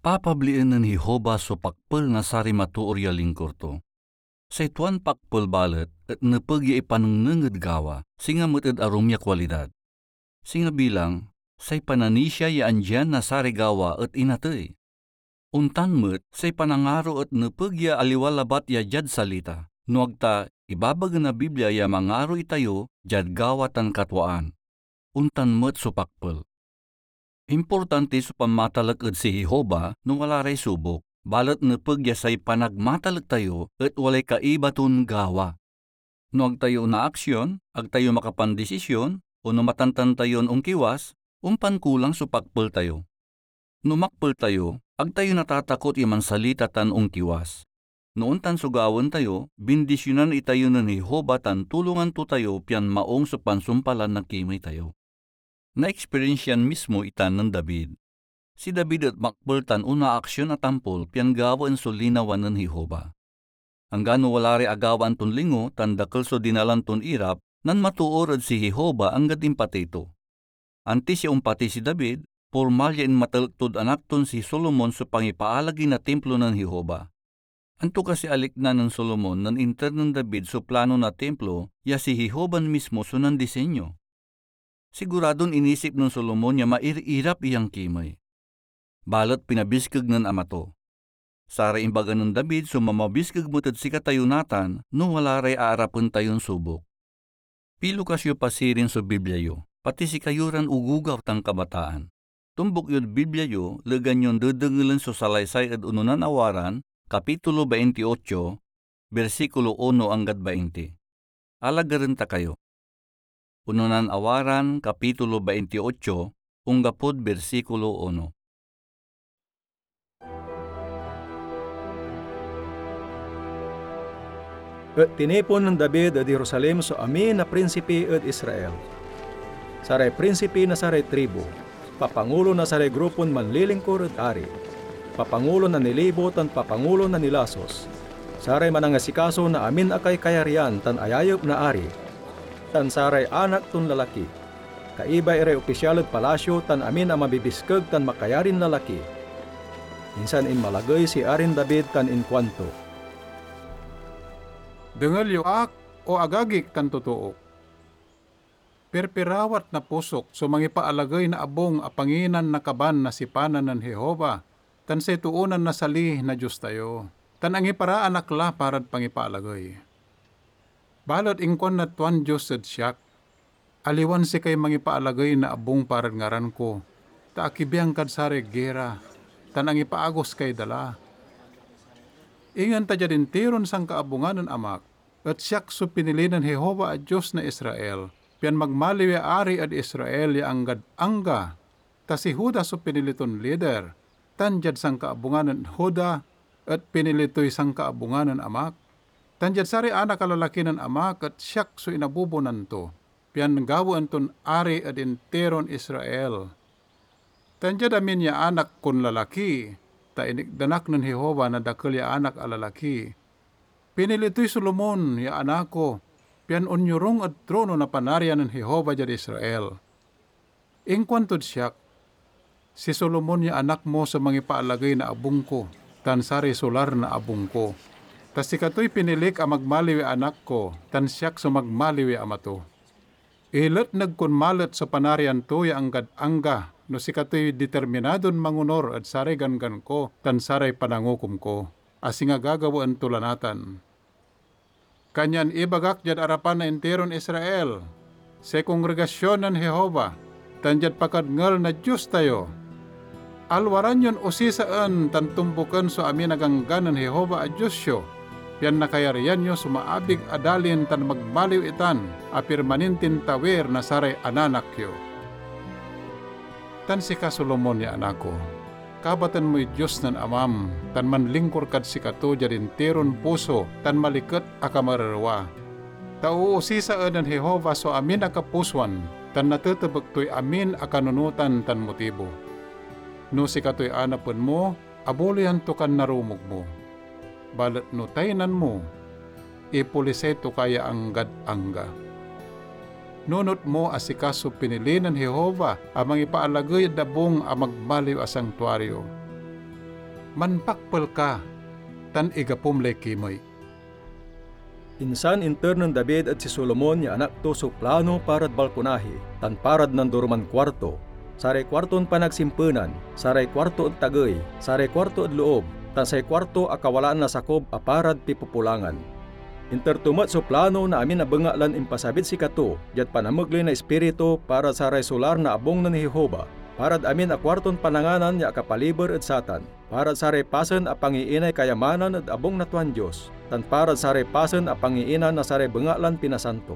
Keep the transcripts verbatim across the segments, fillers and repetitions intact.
papablien nen Jehovah so pakpel na saray matoor ya lingkor to. Say tuan pakpel balet et nepeg ya ipanengneng ed gawa, singa met ed arum ya kualidad. Singa bilang, say pananisia ya andian na saray gawa et inatey. Ontan met, say panangaro et nepeg ya aliwa labat ya diad salita, no ag ta ibabaga na Biblia ya mangaro itayo diad gawa tan katwaan. Ontan met so pakpel. Importanti so panmatalek ed si Jehovah no wala ray subok, balet nepeg ya say panagmatalek tayo et walay kaiba ton gawa. No ag tayo onaaksyon, ag tayo makapandesisyon, o no matantan tayon onkiwas, ompan kulang so pakpel tayo. No makpel tayo, ag tayo natatakot ya mansalita tan onkiwas. No ontan so gawaen tayo, bindisyonan itayo nen Jehovah tan tulongan to tayo pian maong so pansumpalan na kimey tayo. Naeksperensian mismo itan nen David. Si David et makpel tan onaaksyon a tampol pian gawaen so linawa nen Jehovah. Anggano wala ray agawaan ton lingo tan dakel so dinalan ton irap, nanmatoor ed si Jehovah anggad impatey to. Antis ya ompatey si David, pormal ya inmatalek tod anak ton si Solomon so pangipaalagey na Timplo nen Jehovah. Anto kasi a likna nen Solomon nen inter nen David so plano na Timplo ya si Jehovah mismo so nandisenyo? Siguradon inisip nen Solomon ya mair-irap iyan kimey. Balet pinabiskeg nen ama to. Saray imbaga nen David so mamabiskeg met ed sikatayo natan no wala ray aarapen tayon subok. Pilukas yo pa sirin so Biblia yo, pati sikayo ran ogogaw tan kabataan. Tumbok yod Biblia yo, legan yon dedengelen so salaysay ed Ononan a Waran, kapitulo veintiocho, bersikulo uno anggad bainti. Alagaren ta kayo. Ononan a Waran, kapitulo veintiocho, onggapod bersikulo uno. Et tinipon nen David ed Jerusalem so amin a prinsipi ed Israel, saray prinsipi na saray tribu, papangulo na saray grupon manlilingkor ed ari, papangulo na nilibo tan papangulo na nilasos, saray manangasikaso na amin a kaikayarian tan ayayep na ari, tan saray anak ton lalaki, kaiba iray opisyal ed palasio tan amin a mabibiskeg tan makayarin lalaki. Insan inmalagey si Arin David tan inkuanto, "Dengel yo ak, o agagik tan totook. Pirpirawat na pusok so mangipaalagey na abung a panginan na kaban na sipanan nen Jehovah tan say toonan nasali na Dios tayo, tan angiparaan ak la parad pangipaalagey." Balet inkuan na tuan Dios ed siak, "Aliwan sikay mangipaalagey na abung parad ngaran ko, ta akibiang kad saray gira, tan angipaagos kay dala. Ingen ta diad intiron sankaabungan nen amak, et siak so pinili nen Jehovah a Dios na Israel, pian magmaliw ya ari ed Israel ya anggad angga, ta si Juda so pinili ton lider, tan diad sankaabungan nen Juda et pinili toy sankaabungan nen amak. Tan diad saray anak a lalaki nen amak et siak so inabubonan to, pian gawaen ton ari ed intiron Israel. Tan diad amin ya anak kon lalaki, ta inikdan ak nen Jehovah na dakel ya anak a lalaki, pinili toy Solomon ya anak ko, pian onyorung ed trono na Panarian nen Jehovah diad Israel." Inkuantod siak, "Si Solomon ya anak mo so mangipaalagey na abung ko tan saray solar na abung ko, ta sikatoy pinilik a magmaliw ya anak ko, tan siak so magmaliw ya ama to. Iletneg kon malet so Panarian to ya anggad angga no sikatoy determinadon mangonur ed saray ganggan ko tan saray panangukom ko, a singa gagawaen to la natan." Kanyan ibagak diad arapan na intiron Israel, say kongregasyon nen Jehovah, tan diad pakadngel na Dios tayo, alwaran yon osisaen tan tumboken so amin a ganggan nen Jehovah a Dios yo, pian nakayarian yo so maabig a dalin tan magmaliw itan a pirmanintin tawir na saray ananak yo. Tan sika, Solomon ya anak ko, kabatan moy Dios nen amam tan manlingkor kad sikato diad intiron puso tan maliket a kamarerwa. Ta oosisaen nen Jehovah so amin a kapusoan, tan natetebek toy amin a kanunotan tan motibo. No sikatoy anapen mo, abuloyan to kan narumog mo. Balet no taynan mo, ipolisay to ka ya anggad angga. Nunot mo a sika so pinili nen Jehovah a mangipaalagey ed abung a magmaliw a santuario. Manpakpel ka, tan igapom lay kimey. Insan inter nen David ed si Solomon ya anak to so plano parad balkonahi tan parad nandoroman kuarto, saray kuarton panagsimpenan, saray kuarto ed tagey, saray kuarto ed loob, tan say kuarto a kawalaan na sakop a parad pipopolangan. Inter to met so plano na amin a bengatlan impasabid sikato diad panamegley na Ispiritu parad saray solar na abung nen Jehovah, parad amin a kuarton pananganan ya akapaliber ed satan, parad saray pasen a pangiinay kayamanan ed abung na tuan Dios, tan parad saray pasen a pangiina na saray bengatlan pinasanto.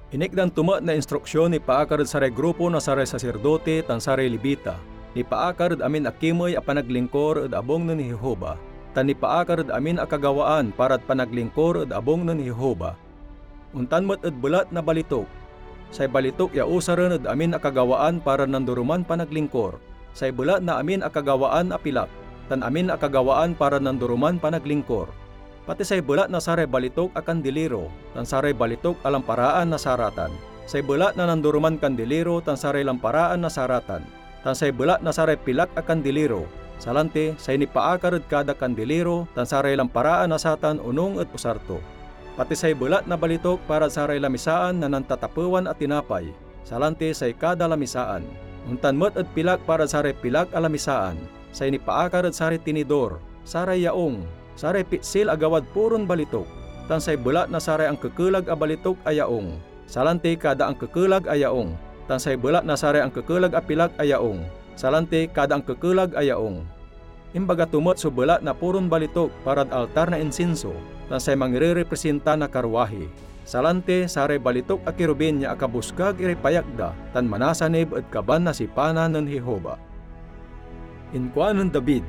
Inikdan to met na instruksyon nipaakar ed saray grupo na saray saserdote tan saray Levita, nipaakar ed amin a kimey a panaglingkor ed abung nen Jehovah, tan nipaakar ed amin a kagawaan parad panaglingkor ed abung nen Jehovah. Ontan met ed belat na balitok, say balitok ya usaren ed amin a kagawaan parad nandoroman panaglingkor, say belat na amin a kagawaan a pilak, tan amin a kagawaan parad nandoroman panaglingkor, pati say belat na saray balitok a kandiliro tan saray balitok a lamparaan na saratan, say belat na nandoroman kandiliro tan saray lamparaan na saratan, tan say belat na saray pilak a kandiliro, salanti say nipaakar ed kada kandiliro tan saray lamparaan na satan onung ed usar to, pati say belat na balitok parad saray lamisaan na nantatapewan a tinapay, salanti say kada lamisaan, ontan met ed pilak parad saray pilak a lamisaan, say nipaakar ed saray tinidor, saray yaung, saray pitsil a gawad puron balitok, tan say belat na saray ankekelag a balitok a yaung, salanti kada ankekelag a yaung, tan say belat na saray ankekelag a pilak a yaung, salanti kada ankekelag a yaung. Imbaga to met so belat na puron balitok parad altar na insinso tan say mangirerepresinta na karwahi, salanti saray balitok a kerubin ya akabusgag iray payak da tan manasanib ed kaban na sipanan nen Jehovah. Inkuanen David,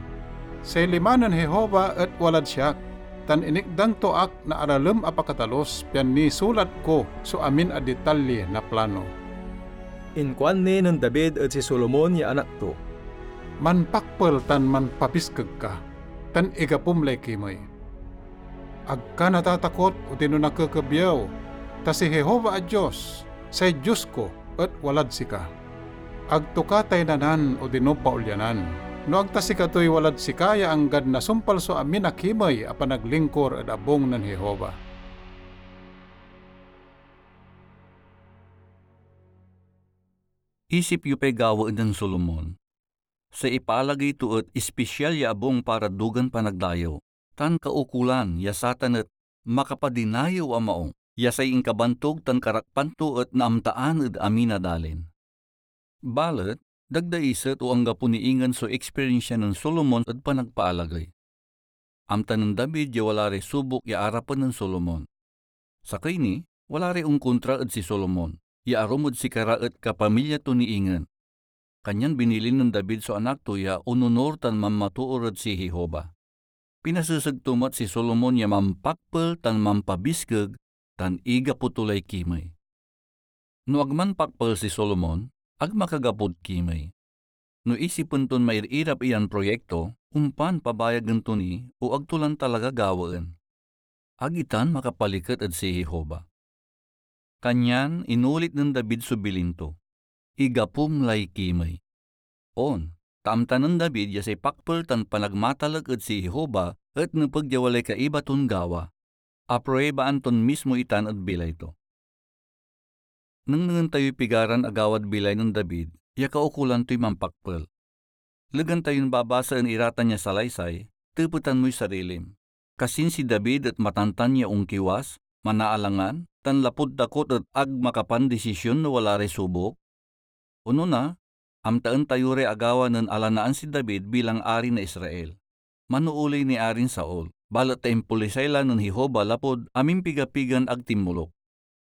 "Say lima nen Jehovah et walad siak, tan inikdan to ak na aralem a pakatalus pian nisulat ko so amin a detalye na plano." Inkuan ni nen David ed si Solomon ya anak to, "Manpakpel tan manpabiskeg ka, tan igapom lay kimey. Ag ka natatakot odino nakekebiew, ta si Jehovah a Dios, say Dios ko, et walad sika. Ag to ka taynanan odino paolyanan, no ag ta sikatoy walad sika ya anggad nasumpal so amin a kimey a panaglingkor ed abung nen Jehovah." Isip yo pay gawaen nen Solomon. Say ipaalagey to et ispisial ya abung para dugan panagdayew, tan kaukolan ya satan et makapadinayew a maong, ya say inkabantog tan karakpan to et naamtaan ed amin a dalin. Balet, dagdaiset o anggapo ni ingen so eksperensia nen Solomon ed panagpaalagey. Amta nen David ya wala ray subok ya arapen nen Solomon. Sakey ni, wala ray onkontra ed si Solomon, ya arum ed sikara et kapamilya to ni ingen. Kanyan binilin nen David so anak to ya ononor tan manmatoor ed si Jehovah. Pinaseseg to met si Solomon ya mampakpel tan mampabiskeg tan igapo to lay kimey. No ag manpakpel si Solomon, ag makagapod kimey. No isipen ton mairirap iyan proyekto, ompan pabayagen to ni o ag to lan talaga gawaen. Ag itan makapaliket ed si Jehovah. Kanyan inulit nen David so bilin to, "Igapom lay kimey." On, ta amta nen David ya say pakpel tan panagmatalek ed si Jehovah et nepeg ya walay kaiba ton gawa. Apruebaan ton mismo itan ed bilay to. Nengnengen tayoy pigaran agawad bilay nen David ya kaukolan toy mampakpel. Legan tayon babasaen iratan ya salaysay, tepetan moy sarilim. Kasin si David et matantan ya onkiwas, manaalangan, tan lapud takot et ag makapandisisyon no wala ray subok? Onona, amtaen tayo ray agawa nen alanaan si David bilang ari na Israel. Manooley ni Arin Saul, balet ta impolisay la nen Jehovah lapud amimpiga-pigan ag tinmoluk.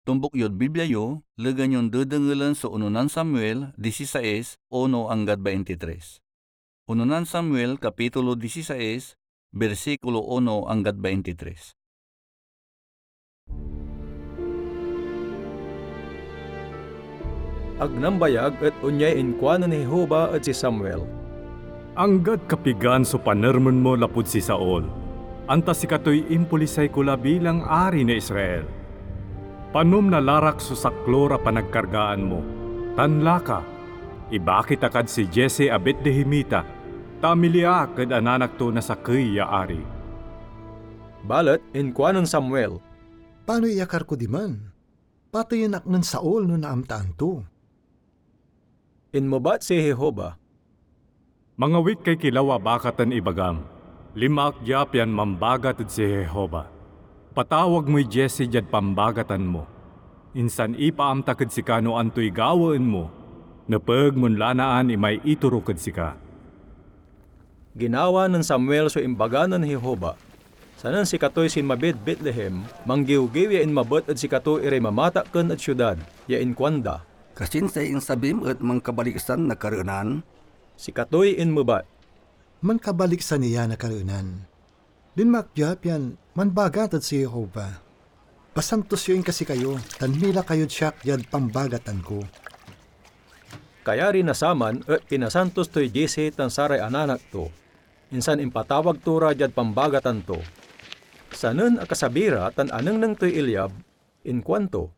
Tumbok yod Biblia yo, legan yon dedengelen so Unonan Samuel disisais, uno anggad baintitres. Unonan Samuel, Kapitulo disisais, bersikulo uno anggad baintitres. Ag nambayag et onyay inkuanen Jehovah ed si Samuel, "Anggad kapigan so panermen mo lapud si Saul, anta sikatoy impolisay ko la bilang ari na Israel? Panom na larak so saklor a panagkargaan mo, tan laka, ibakit a kad si Jesse a Betlehemita, ta amili ak ed ananak to na sakey ya ari." Balet inkuanen Samuel, "Panoy iyakar ko diman? Pateyen ak nen Saul no naamtaan to." Inmebat si Jehovah, "Mangawit kay kilaw a bagat tan ibagam, 'Linma ak dia pian mambagat ed si Jehovah. Patawag moy Jesse diad pambagatan mo, insan ipaamtak ed sika no antoy gawaen mo. Nepeg mon lanaan imay iturok ed sika.'" Ginawa nen Samuel so imbaga nen Jehovah. Sanen sikatoy sinmabid Betlehem, manggiwgiw ya inmabet ed sikato iray mamatakken ed siudad, ya inkuanda, "Kasin say insabim et mankabaliksan na kareenan?" Sikatoy inmebat, "Mankabaliksan iya na kareenan. Linma ak dia pian manbagat ed si Jehovah. Pasantos yo inka sikayo, tan mila kayod siak diad pambagatan ko." Kayari na saman et pinasantos toy Jesse tan saray ananak to, insan impatawag to ra diad pambagatan to. Sanen akasabi ra tan anengneng toy Eliab, inkuanto,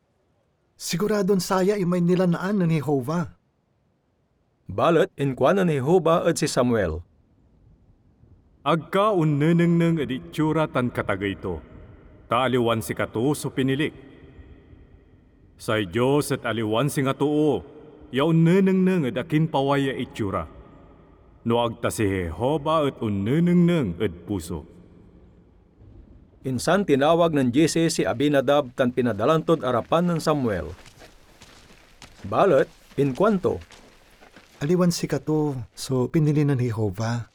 "Siguradon saya imay nilanaan nen Jehovah." Balet inkuanen Jehovah ed si Samuel, "Ag ka onnenengneng ed itsura tan katagey to, ta aliwan sikato so pinilik. Say Dios et aliwan singa too ya onnenengneng ed akin paway ya itsura, no ag ta si Jehovah et onnenengneng ed puso." Insan tinawag nen Jesse si Abinadab tan pinadalan tod arapan nen Samuel. Balet inkuanto, "Aliwan sikato so pinili nen Jehovah."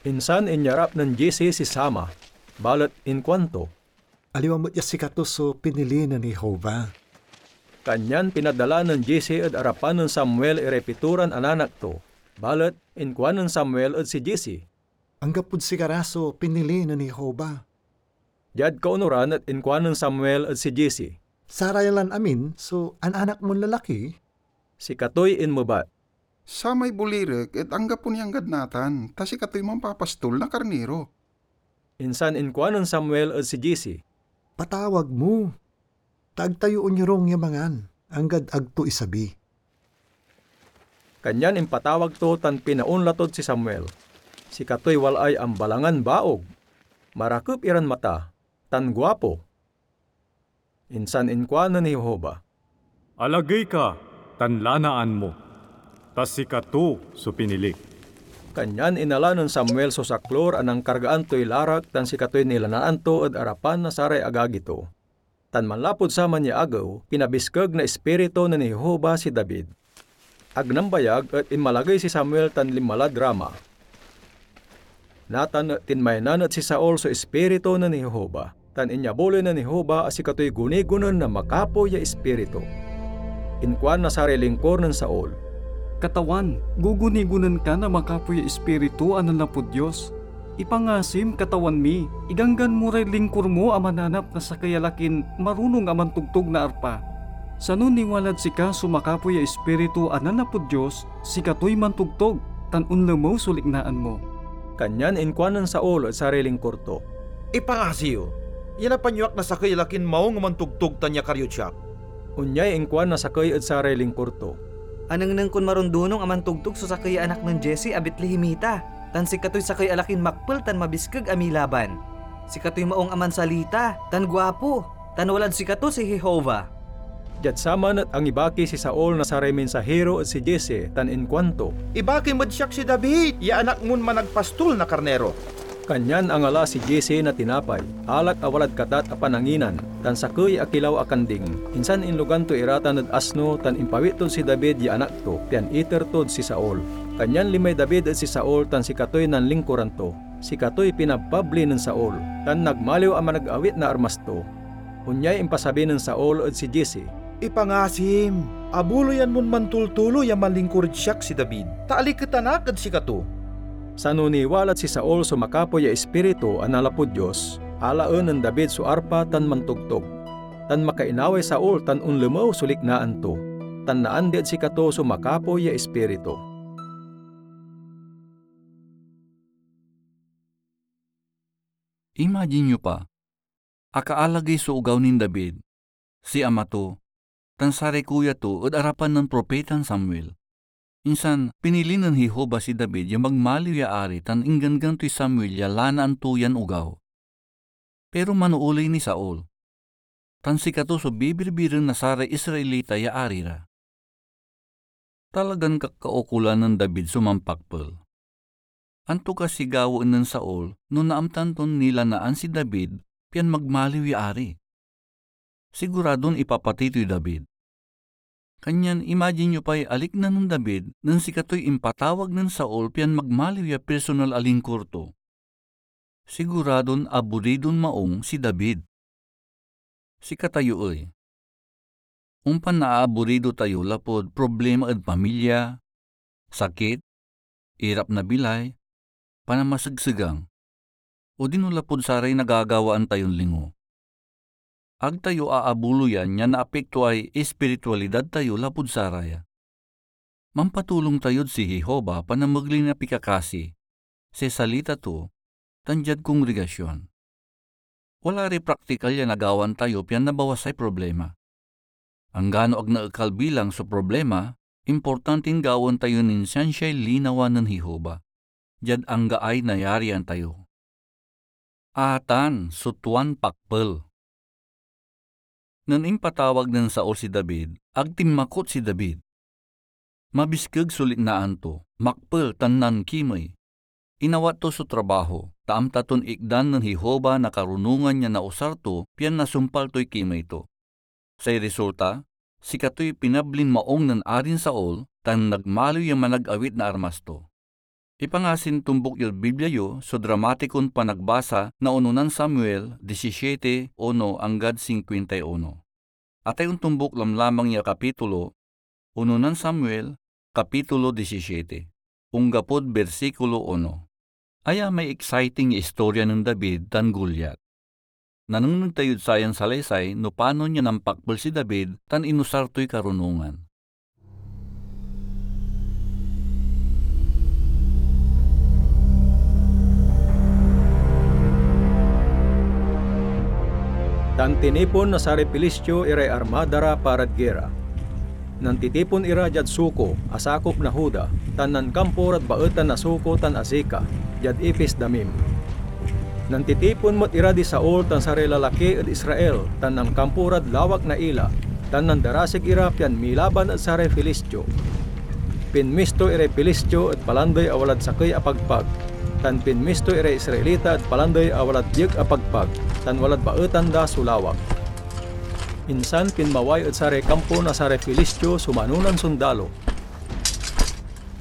Insan inyarap nen Jesse si Sama, balet inkuanto, "Aliwa met ya sikato so pinili nen Jehovah." Kanyan pinadala nen Jesse ed arapan nen Samuel iray pitoran ananak to, balet inkuanen Samuel ed si Jesse, "Anggapod sikara so pinili nen Jehovah." Diad kaunoran et inkuanen Samuel ed si Jesse, "Saraya lan amin so ananak mon lalaki?" Sikatoy inmebat, "Samay bolirek et anggapo ni anggad natan, ta sikatoy mampapastol na karniro." Insan inkuanen Samuel ed si Jesse, "Patawag mo, ta ag tayo onyorung ya mangan, anggad ag to isabi." Kanyan impatawag to tan pinaonla tod si Samuel. Sikatoy walaay ambalangan baog, marakep iran mata, tan guapo. Insan inkuanen Jehovah, "Alagey ka tan lanaan mo, ta sikato so pinilik." Kanyan inala nen Samuel so saklor a nankargaan toy larak tan sikatoy nilanaan to ed arapan na saray agagi to. Tan manlapud saman ya agew, pinabiskeg na Ispiritu nen Jehovah si David. Ag nambayag et inmalagey si Samuel tan linma lad Rama. Natan et tinmaynan ed si Saul so Ispiritu nen Jehovah, tan inyabuloy nen Jehovah a sikatoy gunigonen na makapoy ya ispiritu. Inkuan na saray lingkor nen Saul, "Katawan, gugunigonen ka na makapoy ya ispiritu a nanlapud Dios. Ipangasim, katawan mi, iganggan mo ray lingkor mo a mananap na sakey a lakin marunong a mantogtog na arpa. Sano niwalad sika so makapoy ya Ispiritu a nanlapud Dios, sikatoy mantogtog, tan onlemew so liknaan mo." Kanyan inkuanen Saul ed saray lingkor to, "Ipangasi yo. Yanapan yo ak na sakey a lakin maung a mantogtog tan yakar yod siak." Onyay inkuan na sakey ed saray lingkor to, "Anengneng kon marundunong a mantogtog so sakey ya anak nen Jesse a Betlehemita, tan sikatoy sakey a lakin makpel tan mabiskeg a milaban. Sikatoy maung a mansalita, tan guapo, tan walad sikato si Jehovah." Diad saman et angibaki si Saul na saray minsahiro ed si Jesse tan inkuanto, "Ibakim ed siak si David ya anak mon managpastol na karniro." Kanyan angala si Jesse na tinapay, alak a walad katat a pananginan, tan sakey a kilaw a kanding, insan inlogan to ira tan ed asno tan impawit tod si David ya anak to, pian iter tod si Saul. Kanyan linmay David ed si Saul tan sikatoy nanlingkuran to. Sikatoy pinabpabli nen Saul, tan nagmaliw a managawit na armas to. Onyay impasabi nen Saul ed si Jesse, "Ipangasim, abuloyan mon mantultuloy a manlingkur ed siak si David, ta aliketan ak ed sikato." Sano niwalad si Saul so makapoy ya Ispiritu a nanlapud Dios, alaen nen David so arpa tan mantogtog. Tan makainaway Saul tan onlemew so liknaan to, tan naandi ed sikato so makapoy ya Ispiritu. Imagine yo pa, akaalagey so ogaw nin David, si ama to, tan saray kuya to ed arapan nen Propetan Samuel. Insan, pinili nen Jehovah si David ya magmaliw ya ari tan ingganggan toy Samuel ya lanaan to yan ogaw. Pero manooley ni Saul, tan sikato so bibirbiren na saray Israelita ya ari ra. Talagan kakaukolan nen David so mampakpel. Anto kasi gawaen nen Saul no naamtan ton nilanaan si David pian magmaliw ya ari? Siguradon ipapatey toy David. Kanyan imagine yo pay alikna nen David nen sikatoy impatawag nen Saul pian magmaliw ya personal a lingkur to. Siguradon aburidon maong si David. Sikatayo ey, ompan naaaburido tayo lapud problema ed pamilya, sakit, irap na bilay, panamasegsegang, odino lapud saray nagagawaan tayon lingo. Ag tayo aabuloyan ya naapektoay espiritualidad tayo lapud saraya. Mampatulong tayod si Jehovah panamegley na pikakasi, say salita to, tan diad kongregasyon. Wala ray praktikal ya nagawan tayo pian nabawasay problema. Anggano ag naekal bilang so problema, importantin gawaen tayo nin siansiay linawa nen Jehovah, diad anggaay nayarian tayo. Atan so tuan pakpel. Nen impatawag nen Saul si David, ag tinmakot si David. Mabiskeg so liknaan to, makpel tan nankimey. Inawat to so trabaho, ta amta ton ikdan nen Jehovah na karunongan ya nausar to pian nasumpal toy kimey to. Say resulta, sikatoy pinablin maong nen Arin Saul tan nagmaliw ya managawit na armas to. Ipangasin tombuk yod Biblia yo so dramatikon panagbasa na Unonan Samuel disisiete uno anggad singkuenta y uno. Atay ontombuk lamlamang ya kapitulo, Unonan Samuel, kapitulo disisiete, onggapod bersikulo uno. Aya may exciting ya istorya nen David tan Goliat. Nanengneng tayod sayan salaysay no panon ya nampakpel si David tan inusar toy karunongan. Tan tinipon na saray Filistio iray armada ra parad gera. Nantitipon ira diad Soco a sakop na Juda, tan nankampo rad baetan na Soco tan Azeca, diad Efes-Damim. Nantitipon met ira di Saul tan saray lalaki ed Israel, tan nankampo rad lawak na Ela, tan nandarasig ira pian milaban ed saray Filistio. Pinmisto iray Filistio ed palandey a walad sakey a pagpag, tan pinmisto iray Israelita ed palandey a walad biek a pagpag, tan walad baetan da so lawak. Insan pinmaway ed saray kampo na saray Filistio so manonan sondalo.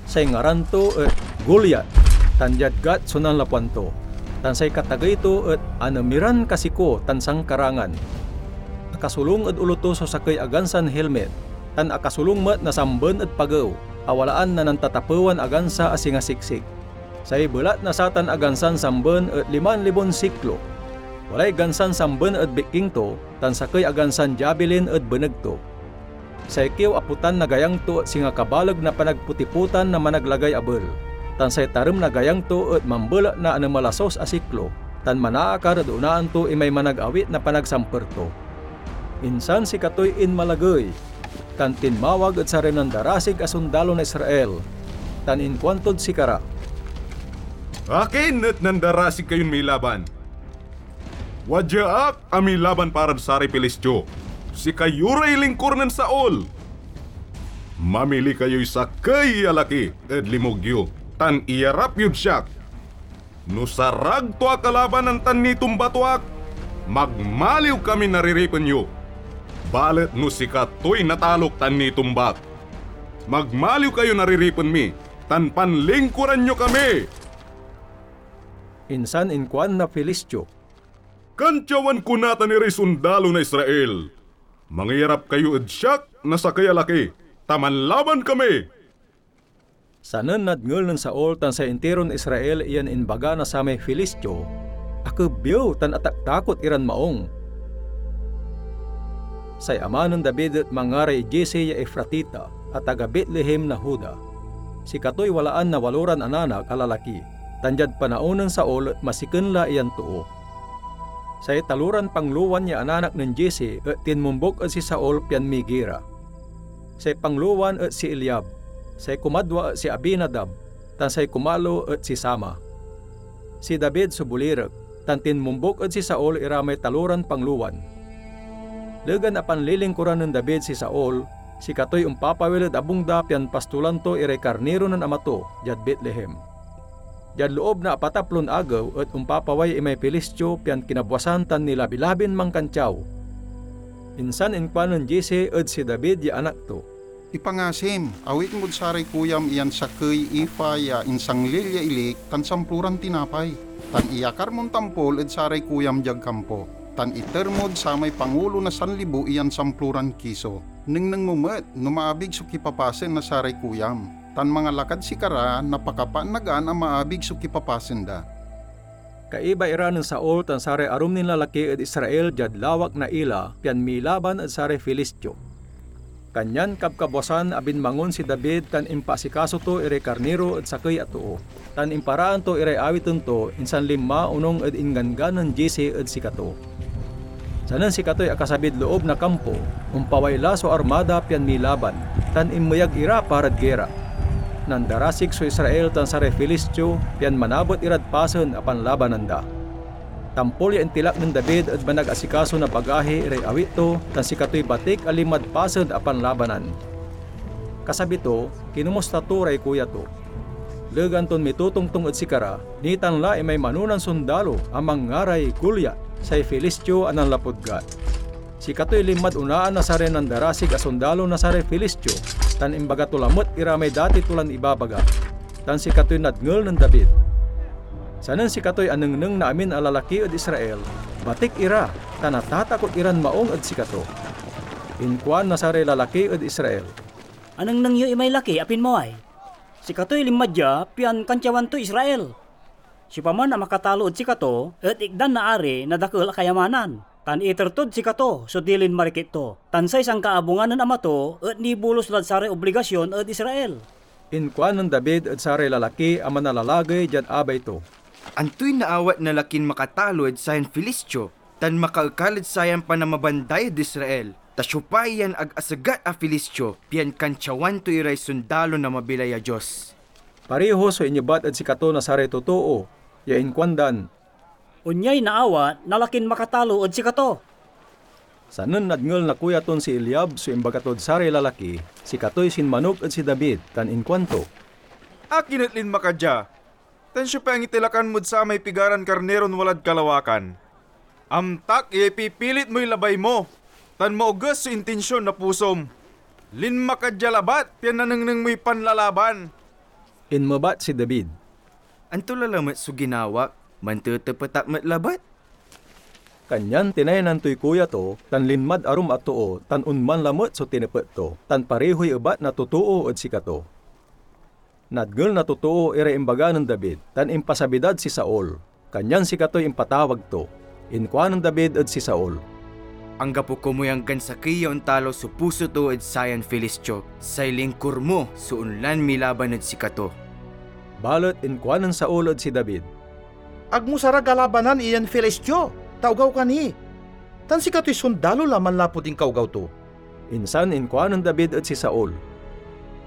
Say ngaran to et Goliat, tan diad Gat so nanlapuan to, tan say katagey to et Anemiran Kasiko tan Sangkarangan. Akasolung ed olo to so sakey a gansan helmet, tan akasolung met na samben ed pagew a walaan na nantatapewan a gansa a singa siksik. Say belat na satan a gansan samben et liman libon siklo. Walay gansan samben ed bikking to, tan sakey a gansan diabilin ed beneg to. Say kiew a potan na gayang to et singa kabaleg na panagpotipotan na managlagay abel, tan say tarem na gayang to et mambelat na anemel a sos a siklo, tan manaakar ed onaan to imay managawit na panagsamper to. Insan sikatoy inmalagey, tan tinmawag ed saray nandarasig a sondalo na Israel, tan inkuantod sikara, "Akin et nandarasig kayon milaban? Wadya ak a milaban parad saray Filistio. Sikayo ray lingkur nen Saul. Mamili kayoy sakey a laki ed limug yo, tan iyarap yod siak. No sarag to a kalabanan tan nitumba to ak, magmaliw kamin nariripen yo. Balet no sikatoy natalok tan nitumbak, magmaliw kayo nariripen mi, tan panlingkuran yo kami." Insan inkuan na Filistio, "Kantiawan ko natan iray sondalo na Israel. Mangiyarap kayo ed siak na sakey a laki, ta manlaban kami." Sanen nadngel nen Saul tan say intiron Israel yan imbaga na samay Filistio, akebiew tan ataktakot iran maong. Say ama nen David et mangaray Jesse ya Efratita a taga Betlehem na Juda. Sikatoy walaan na waloran ananak a lalaki, tan diad panaon nen Saul et masiken la iyan too. Say taloran panglowan ya ananak nen Jesse et tinmombok ed si Saul pian migira. Say panglowan et si Eliab, Say kumadwa et si Abinadab, tan say kumalo et si Sama. Si David so bolirek, tan tinmombuk ed si Saul ira may taloran panglowan. Legan a panlilingkuran nen David si Saul, sikatoy ompapawil ed abung da pian pastolan to iray karniro nen ama to diad Betlehem. Diad loob na apataplon agew et ompapaway imay Filistio pian kinabwasan tan nilabi-labin mankantiaw. Insan inkuanen Jesse ed si David ya anak to, "Ipangasim, awit mod saray kuyam iyan sakey efa ya insanglil ya ilik tan samploran tinapay, tan iyakar mon tampol ed saray kuyam diad kampo, tan iter mod samay pangulo na sanlibo iyan samploran kiso. Nengneng mo met no maabig so kipapasen na saray kuyam, tan mangalakad sikara na pakapaannagan a maabig so kipapasen da." Kaiba ira nen Saul tan saray arum nin lalaki ed Israel diad lawak na Ela pian milaban ed saray Filistio. Kanyan kabkabwasan a binmangon si David tan impaasikaso to iray karniro ed sakey a too, tan imparaan to iray awiten to, insan linma onung ed ingganggan nen Jesse ed sikato. Sanen sikatoy akasabid loob na kampo, ompaway la so armada pian milaban, tan inmeyag ira parad gera. Nandarasig so Israel tan saray Filistio pian manabet irad pasen a panlabanan da. Tampol ya intilak nen David ed manag-asikaso na bagahi iray awit to, tan sikatoy batik a linmad pasen a panlabanan. Kasabi to, kinomusta to ray kuya to. Legan ton mitotongtong ed sikara, nitan la imay manonan sondalo a manngaray Goliat, say Filistio a nanlapud Gat. Sikatoy linmad onaan na saray nandarasig a sondalo na saray Filistio, tan imbaga to lamet ira may dati to lan ibabaga. Tan sikatoy nadngel nen David. Sanen sikatoy anengneng na amin a lalaki ed Israel, batik ira, ta natatakot iran maung ed sikato. Inkuan na saray lalaki ed Israel, "Anengneng yo imay laki a pinmaway. Sikatoy linma dia pian kantiawan toy Israel. Siopaman a makatalo ed sikato et ikdan na ari na dakel a kayamanan, tan iter tod sikato so dilin marikit to, tan say sankaabungan nen ama to et nibulos lad saray obligasion ed Israel." Inkuanen David ed saray lalaki a manalalagey diad abay to, "Antoy naawat na lakin makatalo ed sayan Filistio tan makaekal ed sayan panamabanday ed Israel? Ta siopa yan ag asegat a Filistio, pian kantiawan to iray sondalo na mabilay a Dios?" Pareho so inebat ed sikato na saray totoo, ya inkuandan, "Onyay naawat na lakin makatalo ed sikato." Sanen nadngel na kuya ton si Eliab so imbaga tod saray lalaki, sikatoy sinmanog ed si David tan inkuanto, "Akin et linma ka dia? Tan siopa ya angitelakan mod samay pigaran karniron walad kalawakan? Amtak ya ipipilit moy labay mo, tan maoges so intinsion na pusom. Linma ka dia labat pian nanengneng moy panlalaban." Inmebat si David, "Anto la lamet so ginawak? Mantetepet ak met labat?" Kanyan tinaynan toy kuya to, tan linmad arum a too, tan onman lamet so tinepet to, tan parehoy ebat na totoo ed sikato. Nadngel na totoo iray imbaga nen David, tan impasabi dad si Saul. Kanyan sikatoy impatawag to. Inkuanen David ed si Saul, "Anggapo komoy anggan sakey ya ontalo so puso to ed sayan Filistio. Say lingkur mo so onlan milaban ed sikato." Balet inkuanen Saul ed si David, "Agmo sarag a labanan iyan Filistio, ta ogaw ka ni. Tan sikatoy sondalo la manlapud inkaogaw to." Insan inkuanen David ed si Saul,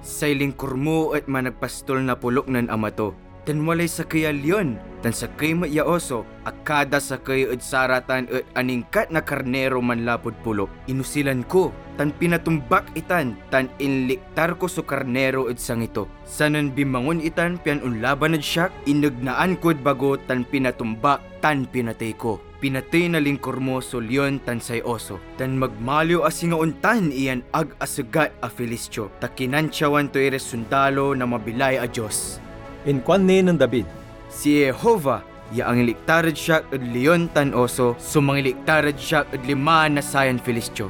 "Say lingkur mo et managpastol na polok nen ama to, tan walay sakey a lion tan sakey met ya oso a kada sakey ed saratan et aningkat na karniro manlapud polok. Inosilan ko, tan pinatumbak itan, tan inliktar ko so karniro ed sangi to. Sanen binmangon itan pian onlaban ed siak, inegnaan kod bago tan pinatumbak tan pinatey ko. Pinatey na lingkur mo so lion tan say oso, tan magmaliw a singa ontan iyan ag asegat a Filistio, ta kinantyawan to iray sondalo na mabilay a Dios." Inkuan ni nen David, "Si Jehovah ya angiliktar ed siak ed lion tan oso so mangiliktar ed siak ed lima na sayan Filistio."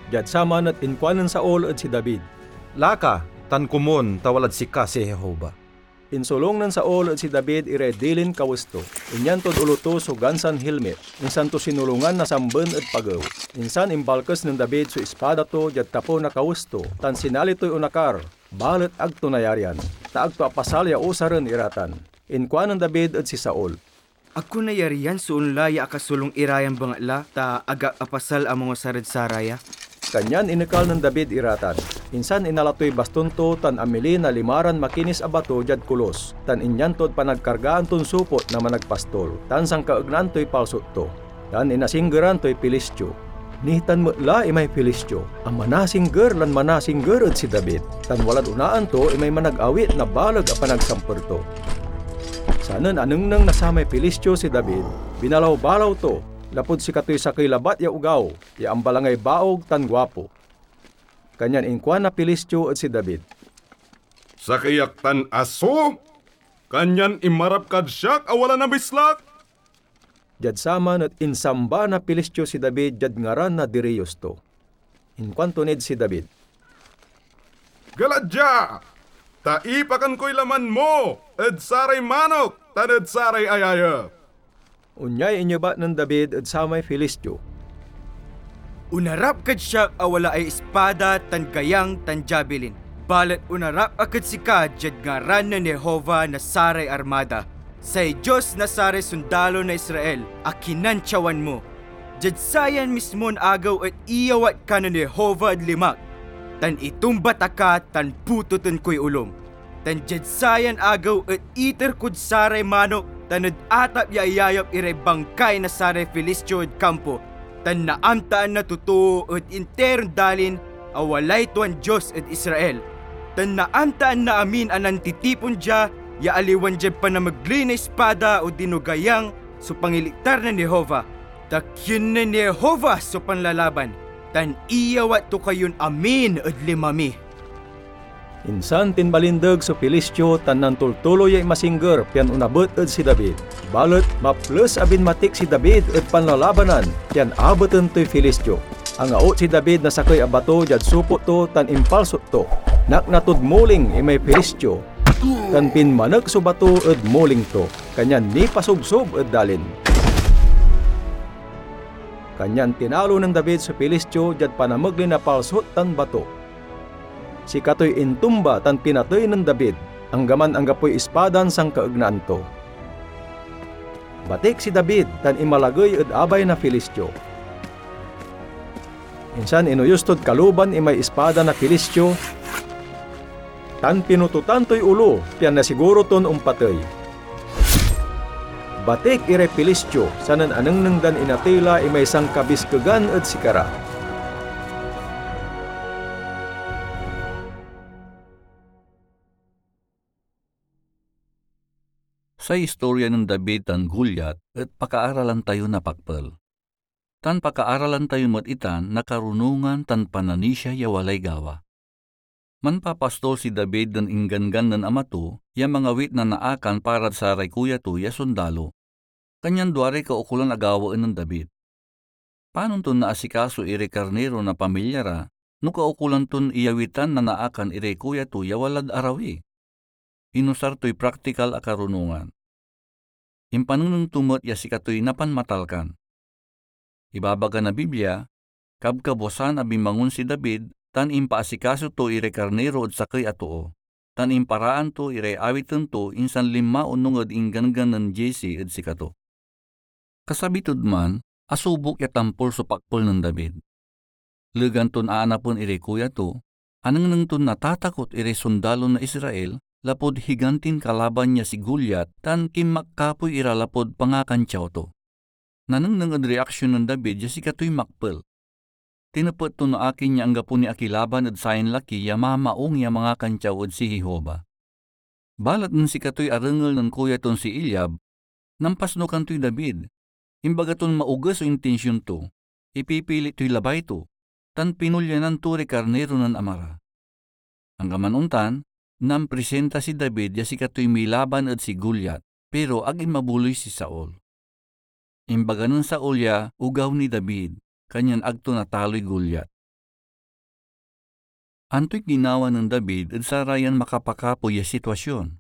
Diad saman et inkuanen Saul ed si David, "Laka, tan komon, ta walad sika si Jehovah." Insolung nen Saul ed si David iray dilin kawes to. Inyan tod olo to so gansan hilmit, insan to sinolungan na samben ed pagew. Insan imbalkes nen David so ispada to diad tapew na kawes to, tan sinali toy onakar, balet ag to nayarian, ta ag to apasal ya usaren ira tan. Inkuanen David ed si Saul, "Ag ko nayarian so onla ya akasolung ira yan bengatla, ta ag ak apasal a mangusar ed saraya." Kanyan inekal nen David ira tan. Insan inala toy baston to tan amili na limaran makinis a bato diad kolos, tan inyan tod panagkargaan ton supot na managpastol, tan sankaegnaan toy palsot to. Tan inasinggeran toy Filistio. Nitan met la imay Filistio a manasingger lan manasingger ed si David, tan walad onaan to imay managawit na baleg a panagsamper to. Sanen anengneng na samay Filistio si David, binalaw-balaw to, lapud sikatoy sakey labat ya ogaw ya ambalangay baog tan guapo. Kanyan inkuan na Filistio ed si David, "Sakey ak tan aso, kanyan inmarap kad siak a wala na mislak?" Diad saman et insamba na Filistio si David diad ngaran na diriyos to. Inkuanto nid si David, "Gala dia, ta ipakan koy laman mo ed saray manok tan ed saray ayayep." Onyay inyebat nen David ed samay Filistio, "Onarap kad siak a walaay ispada tan gayang tan jabilin, balet onarap ak ed sika diad ngaran nen Jehovah na saray armada, say Dios na saray sondalo na Israel a kinantyawan mo. Diad sayan mismon agew et iyawat ka nen Jehovah ed limak, tan itumba ta ka tan putoten koy olom. Tan diad sayan agew et iter kod saray manok tan ed atap ya ayayep iray bangkay na saray Filistio ed kampo, tan naamtaan na totoo ed interon dalin a walay tuan Dios ed Israel. Tan naamtaan na amin a nantitipon dia ya aliwan diad panamegley na ispada odino gayang so pangiliktar nen Jehovah, ta kinen Jehovah so panlalaban, tan iyawat to kayon amin ed lima mi." Insan tinbalindeg so Filistio tan nantultuloy ya inmasingger pian onabet ed si David. Balet maples a binmatik si David ed panlalabanan pian abeten toy Filistio. Angaot si David na sakey a bato diad supot to tan impalsot to. Nakna tod muling imay Filistio, tan pinmanek so bato ed muling to, kanyan nipasubsob ed dalin. Kanyan tinalo nen David so Filistio diad panamegley na palsot tan bato. Sikatoy intumba tan pinatey nen David, anggaman anggapoy ispadan sankaegnaan to. Batik si David tan inmalagey ed abay na Filistio. Insan inoyos tod kaluban imay ispada na Filistio, tan pinutotan toy olo, pian nasiguro ton ompatey. Batik iray Filistio, sanen anengneng dan inatey la imay sankabiskegan ed sikara. Say istorya nen David tan Goliat et pakaaralan tayo na pakpel. Tan pakaaralan tayo met itan na karunongan tan pananisia ya walay gawa. Manpapastol si David nen ingganggan nen ama to ya mangawit na naakan parad saray kuya to ya sondalo. Kanyan duaray kaukolan a gawaen nen David. Panon ton naasikaso iray karniro na pamilya ra no kaukolan ton iyawitan na naakan iray kuya to ya walad arawi? Inusar toy praktikal a karunongan. Impanengneng to met ya sikatoy napanmatalkan. Ibabaga na Biblia, kabkabwasan a binmangon si David tan impaasikaso to iray karniro ed sakey a too, tan imparaan to iray awiten to, insan linma onung ed ingganggan nen Jesse ed sikato. Kasabi tod man, asubok ya tampol so pakpel nen David. Legan ton aanapen iray kuya to, anengneng ton natatakot iray sondalo na Israel lapud higantin kalaban ya si Goliat tan kinmakkapoy ira lapud pangakantyaw to. Nanengneng ed reaksion nen David ya sikatoy makpel. Tinepet to no akin ya anggapo ni akilaban ed sayan laki ya mamaong ya mangakantyaw ed si Jehovah. Balet nen sikatoy arengel nen kuya ton si Eliab, nampasnukan toy David. Imbaga ton maoges so intension to, ipipilit toy labay to, tan pinolyanan to ray karniro nen ama ra. Anggaman ontan, namprisinta si David ya sikatoy milaban ed si Goliat, pero ag inmabuloy si Saul. Imbaga nen Saul ya ogaw ni David, kanyan ag to nataloy Goliat. Antoy ginawa nen David ed sarayan makapakapoy ya sitwasion?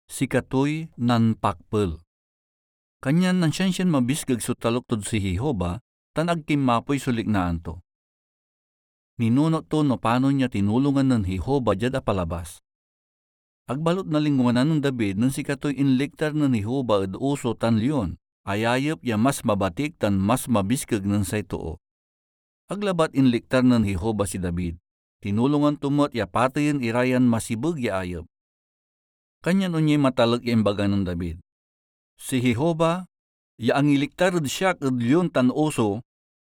Sikatoy nanpakpel. Kanyan nansiansian mabiskeg so talok tod si Jehovah tan ag kinmapoy so liknaan to. Ninunot to no panon ya tinulongan nen Jehovah diad apalabas. Ag balut nalingwanan nen David nen sikatoy inliktar nen Jehovah ed oso tan leon, ayayep ya mas mabatik tan mas mabiskeg nen say too. Ag labat inliktar nen Jehovah si David. Tinulongan to met ya pateyen ira yan masibeg ya ayep. Kanyan onyay matalek ya imbaga nen David, "Si Jehovah, ya angiliktar ed siak ed lion tan oso,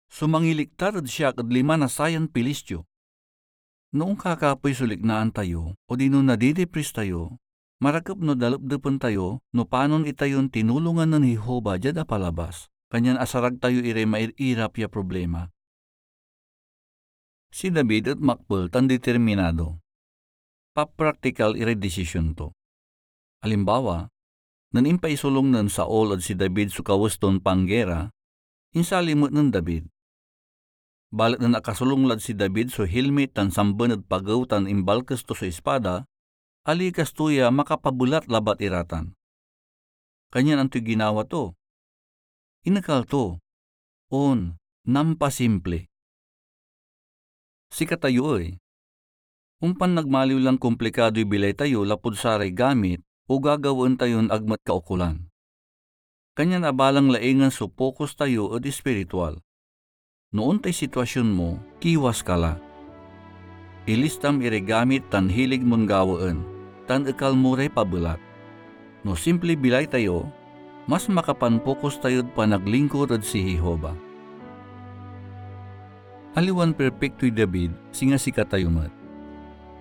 so mangiliktar ed siak ed lima na sayan Pilistio." No onkakapoy so liknaan tayo, odino nadidipris tayo, marakep no dalepdepen tayo no panon itayon tinulongan nen Jehovah diad apalabas, kanyan asarag tayo iray mair-irap ya problema. Si David et makpel tan determinado. Papraktikal iray desisyon to. Alimbawa, nen impaisolong nen Saul ed si David so kawes ton panggera, insali met nen David. Balet nen akasolong lad si David so hilmit tan samben ed pagew tan imbalkes to so ispada, alikas to ya makapabelat labat ira tan. Kanyan antoy ginawa to? Inekal to. On, nampasimple. Sikatayo ey, ompan nagmaliw lan komplikadoy bilay tayo lapud saray gamit o gagawaen tayon ag met kaukolan. Kanyan abalang laingen so pokus tayo ed espiritual. No ontay sitwasyon mo, kiwas ka la. Ilistam iray gamit tan hilig mon gawaen, tan ekal mo ray pabelat. No simple bilay tayo, mas makapanpokus tayod panaglingkur ed si Jehovah. Aliwan perpektoy David, singa sikatayo met.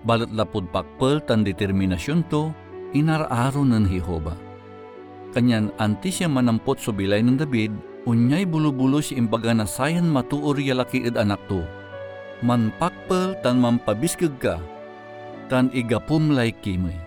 Balet lapud pakpel tan determinasyon to, inaraaro nen Jehovah. Kanyan antis ya manampot so bilay nen David, onyay bolubolos ya imbaga na sayan matoor ya laki ed anak to, "Manpakpel tan manpabiskeg ka, tan igapom lay kimey."